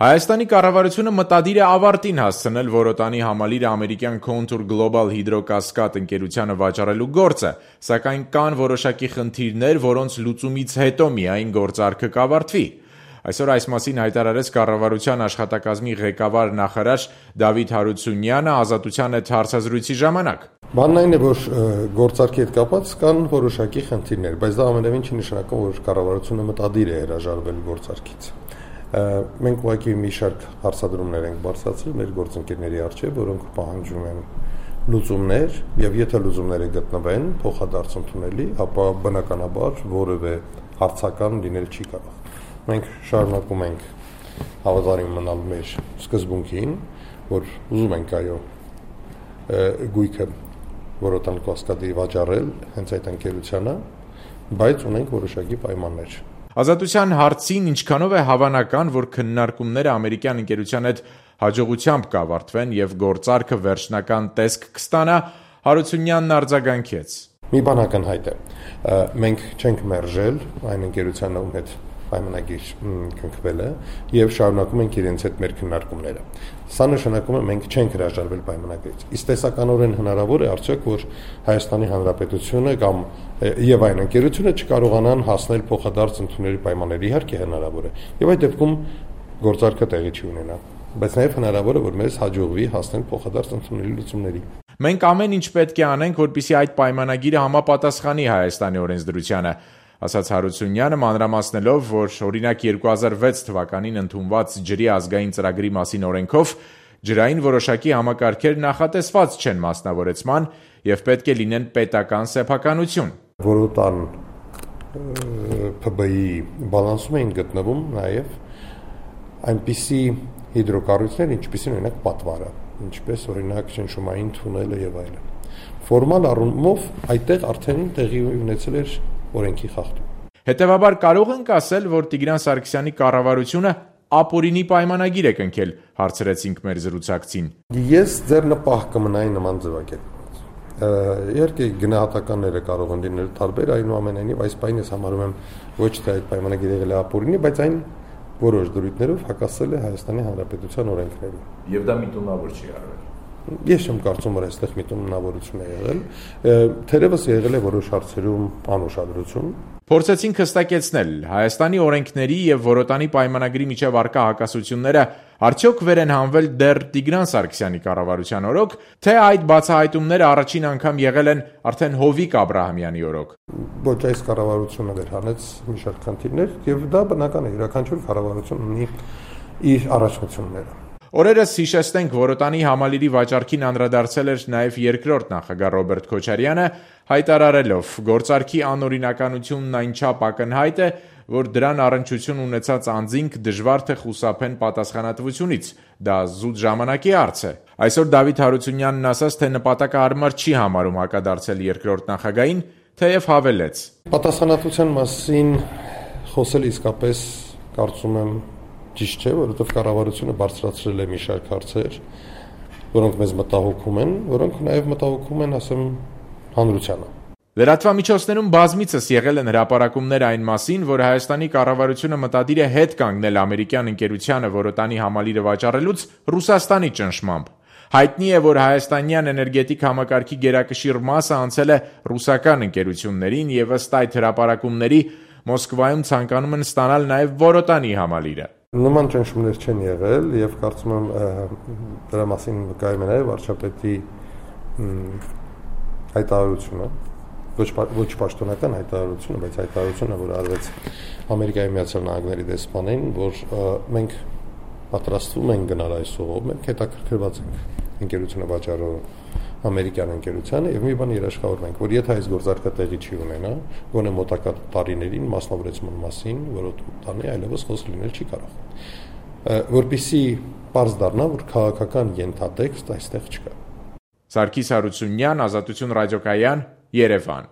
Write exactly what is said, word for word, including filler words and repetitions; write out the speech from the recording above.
Հայաստանի կառավարությունը մտադիր է ավարտին հասցնել Որոտանի համալիրը ամերիկյան Contour Global Hydro-Cascade ընկերությանը վաճառելու գործը, սակայն կան որոշակի խնդիրներ, որոնց լուծումից հետո միայն գործարքը կավարտվի։ Այսօր այս մասին հայտարարեց կառավարության աշխատակազմի ղեկավար նախարար Դավիթ Հարությունյանը Ազատության հետ հարցազրույցի ժամանակ։ Բանն այն է, որ գործարքի հետ կապված կան որոշակի խնդիրներ, բայց դա ամենևին չի նշանակում, որ կառավարությունը մտադիր է հրաժարվել գործարքից։ Մենք ուղղակի մի շարք հարցադրումներ ենք բարձրացրել մեր գործընկերների առջև, որոնք պահանջում են լուծումներ, եւ եթե լուծումները գտնվեն փոխադարձ ընդունելի, ապա բնականաբար որևէ հարցական լինել չի կարող։ Մենք շարունակում ենք հավատարիմ մնալ մեր սկզբունքին, որ ուզում ենք այո գույքը Որոտան Կասկադի վաճառել հենց այդ ընկերությանը, բայց ունենք որոշակի պայմաններ։ Ազատության հարցին ինչքանով է հավանական, որ քննարկումները ամերիկյան ընկերության հետ հաջողությամբ կավարտվեն եւ գործարքը վերջնական տեսք կստանա, Հարությունյանն արձագանքեց։ Մի բան ակնհայտ է։ Մենք չենք մերժել այն ընկերությանը, ում հետ պայմանագիր կնքվել է եւ շարունակում ենք իրենց հետ մեր քննարկումները։ Սա նշանակում է մենք չենք հրաժարվել պայմանագրից։ Իսկ տեսականորեն հնարավոր է արդյոք, որ Հայաստանի Հանրապետությունը կամ եւ այն ընկերությունը չկարողանան հասնել փոխադարձ ընդունելի պայմանների, իհարկե հնարավոր է։ Եվ այդ դեպքում գործարքը տեղի չի ունենա, բայց նաեւ հնարավոր է, որ մեզ հաջողվի հասնել փոխադարձ ընդունելի լուծումների։ Մենք ամեն ինչ պետք է անենք, որպեսզի այդ պայմանագիրը համապատասխանի Հայաստանի օրենսդրությանը, ասաց Հարությունյանը, մանրամասնելով, որ օրինակ երկու հազար վեց թվականին ընդունված ջրի ազգային ծրագրի մասին օրենքով ջրային որոշակի համակարգեր նախատեսված չեն մասնավորեցման եւ պետք է լինեն պետական սեփականություն։ Որոտան Փ B-ի բալանսում էին գտնվում նաեւ այնպիսի հիդրոկառույցներ, ինչպիսին օրինակ պատվարը, ինչպես օրինակ շնշումային թունելը եւ այլն։ Ֆորմալ առումով այդտեղ արդեն տեղի ունեցել էր օրենքի խախտում։ Հետևաբար կարող ենք ասել, որ Տիգրան Սարգսյանի կառավարությունը ապօրինի պայմանագիր է կնքել, հարցրեցինք մեր զրուցակցին։ Ես ձեր նպահ կմնայի նման ձևակերպված։ Իհարկե գնահատականները կարող են լինել տարբեր, այնուամենայնիվ այս պայն ես համարում եմ ոչ թե այդ պայմանագիրը եղել է ապօրինի, բայց այն որոշ դրույթներով հակասել է Հայաստանի Հանրապետության օրենքներին։ Եվ դա միտումնավոր չի արվել։ Ես չեմ կարծում, որ այստեղ միտումնավորություն է եղել, թերևս եղել է որոշ հարցերում անուշադրություն։ Փորձեցինք հստակեցնել Հայաստանի օրենքների եւ Որոտանի պայմանագրի միջև առկա հակասությունները արդյոք վեր են հանվել դեռ Տիգրան Սարգսյանի կառավարության օրոք, թե այդ բացահայտումները առաջին անգամ եղել են արդեն Հովիկ Աբրահամյանի օրոք։ Ոչ, այս կառավարությունը վեր հանեց մի շարք խնդիրներ եւ դա բնական է, յուրաքանչյուր կառավարություն ունի իր առաջնությունները։ Օրերս հիշեցնենք Որոտանի համալիրի վաճառքին անդրադարձել էր նաև երկրորդ նախագահ Ռոբերտ Քոչարյանը, հայտարարելով գործարքի անօրինականությունն այնչափ ակնհայտ է, որ դրան առնչություն ունեցած անձինք դժվար թե խուսափեն պատասխանատվությունից, դա զուտ ժամանակի հարց է։ Այսօր Դավիթ Հարությունյանն ասաց, թե նպատակահարմար չի համարում հակադարձել երկրորդ նախագահին, թեև հավելեց. Պատասխանատվության մասին խոսել իսկապես կարծում եմ ճիշտ չէ, որովհետև կառավարությունը բարձրացրել է մի շարք հարցեր, որոնք մեզ մտահոգում են, որոնք նաև մտահոգում են, ասեմ, հանրությանը։ Լրատվամիջոցներում բազմիցս եղել են հրապարակումներ այն մասին, որ Հայաստանի կառավարությունը մտադիր է հետ կանգնել ամերիկյան ընկերությանը Որոտանի համալիրը վաճառելուց Ռուսաստանի ճնշմամբ։ Հայտնի է, որ հայաստանյան էներգետիկ համակարգի գերակշիռ մասը անցել է ռուսական ընկերություններին եւ ըստ այդ հրապարակումների Մոսկվայում ցանկանում են ստանալ նաև Որոտանի համալիրը։ Նման ճնշումներ չեն եղել եւ կարծում եմ դրա մասին վկայում է նաեւ վարչապետի հայտարարությունը, ոչ ոչ պաշտոնական հայտարարությունը, բայց հայտարարությունը, որ արվեց Ամերիկայի Միացյալ Նահանգների դեսպանին, որ մենք պատրաստվում ենք գնալ այս ուղով, մենք հետաքրքրված ենք ընկերությունը վաճառող ամերիկյան ընկերությանը եւ մի բան երաշխավորում ենք, որ եթե այս գործարքը տեղի չի ունենա, գոնե մոտակա տարիներին մասնավորեցման մասին, Որոտանի այլևս խոսք լինել չի կարող։ Որպեսզի պարզ դառնա, որ քաղաքական ենթատեքստ այստեղ չկա։ Սարգիս Հարությունյան, Ազատություն ռադիոկայան, Երևան։